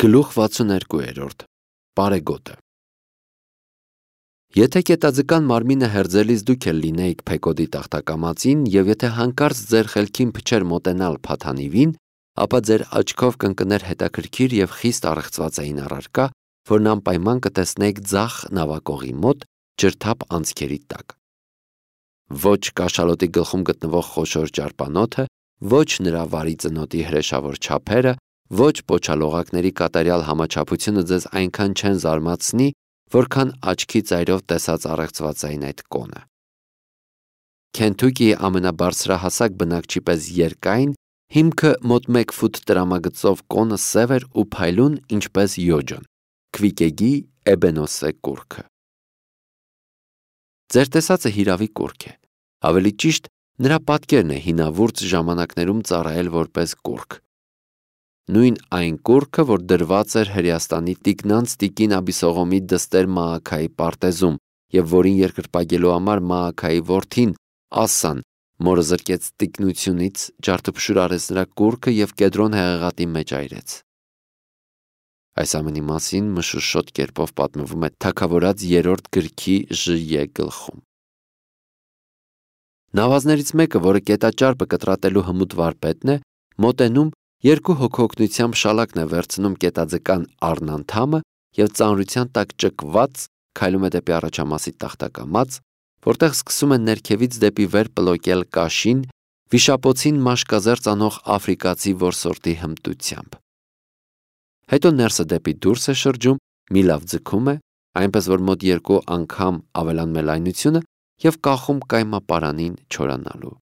Գլուխ 62 Պարեգոտը Եթե կետաձկան մարմինը հերձելիս դուք էլ լինեիք Փեկոդի տախտակամածին և եթե հանկարծ ձեր խելքին փչեր մոտենալ Փաթանիվին, ապա ձեր աչքով կընկներ հետաքրքիր և խիստ առեղծվածային առարկա, որն անպայման կտեսնեիք ձախ նավակողի մոտ ջրթափ անցքերի տակ։ Ոչ կաշալոտի գլխում գտնվող խոշոր ճարպանոթը, ոչ նրա վարի ծնոտի հրեշավոր չափերը, ոչ պոչալողակների կատարյալ համաչափությունը ձեզ այնքան չեն զարմացնի, որքան աչքի ծայրով տեսած առեղծվածային այդ կոնը։ Քենթուկիի ամենաբարձրահասակ բնակչի պես երկայն, հիմքը մոտ 1 ֆուտ տրամագծով կոնը սև էր ու փայլուն ինչպես յոջոն, Քվիկեգի էբենոսե կուռքը։ Ձեր տեսածը հիրավի կուռք է, ավելի ճիշտ նրա պատկերն է հինավուրց ժամանակներում ծառայել որպես կուռք։ Նույն այն կուռքը, որ դրված էր Հրեաստանի տիկնանց տիկին Աբիսողոմի դստեր Մաաքայի պարտեզում և որին երկրպագելու համար Մաաքայի որդին Ասսան մորը զրկեց տիկնությունից, ջարդափշուր արեց նրա կուռքը և Կեդրոն հեղեղատի մեջ այրեց։ Այս ամենի մասին մշուշոտ կերպով պատմվում է Թագավորաց 3-րդ գրքի Ժ.Ե. գլխում։ Նավազներից մեկը, որը կետաճարպը կտրատելու հմուտ վարպետն է, մոտենում, 2 հոգու օգնությամբ շալակն է վերցնում կետաձկան առնանդամը և ծանրության տակ ճկված քայլում է դեպի առաջամասի տախտակամած, որտեղ սկսում է ներքևից դեպի վեր պլոկել կաշին, վիշապոցին մաշկազերծ անող աֆրիկացի որսորդի հմտությամբ։ Հետո ներսը դեպի դուրս է շրջում, մի լավ ձգում է, այնպես որ մոտ 2 անգամ ավելանում է լայնությունը և կախում կայմապարանին չորանալու։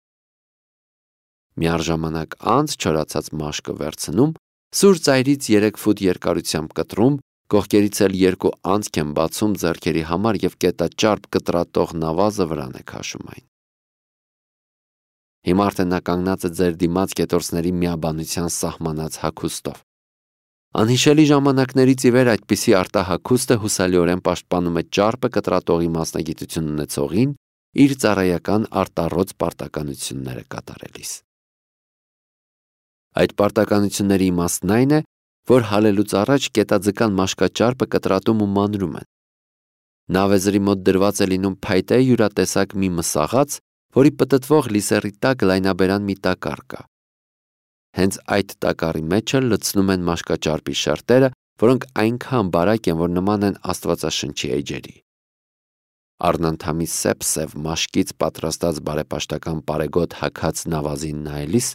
Միառժամանակ անց չորացած մաշկը վերցնում, սուր ծայրից 3 ֆուտ երկարությամբ կտրում, կողքերից էլ 2 անցք են բացում ձեռքերի համար և կետաճարպ կտրատող նավազը վրան է քաշում այն։ Հիմա արդեն նա կանգնած է ձեր դիմաց կետորսների միաբանության սահմանած հագուստով։ Անհիշելի ժամանակներից ի վեր այդպիսի արտահագուստը հուսալիորեն պաշտպանում է ճարպը կտրատողի մասնագիտություն ունեցողին իր ծառայական արտառոց պարտականությունները կատարելիս։ Այդ պարտականությունների իմաստն այն է, որ հալելուց առաջ կետաձկան մաշկաճարպը կտրատում ու մանրում են։ Նավեզրի մոտ դրված է լինում փայտե յուրատեսակ մի մսաղաց, որի պտտվող լիսերի տակ լայնաբերան մի տակառ կա։ Հենց այդ տակառի մեջ էլ լցնում են մաշկաճարպի շերտերը, որոնք այնքան բարակ են, որ նման են Աստվածաշնչի էջերի։ Առնանդամի սև մաշկից պատրաստած բարեպաշտական պարեգոտ հագած նավազին նայելիս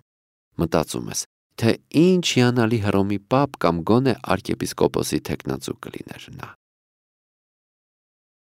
մտածում ես, թե ինչ հիանալի Հռոմի պապ կամ գոնե arczepiskopos-ի թեկնածու կլիներ նա։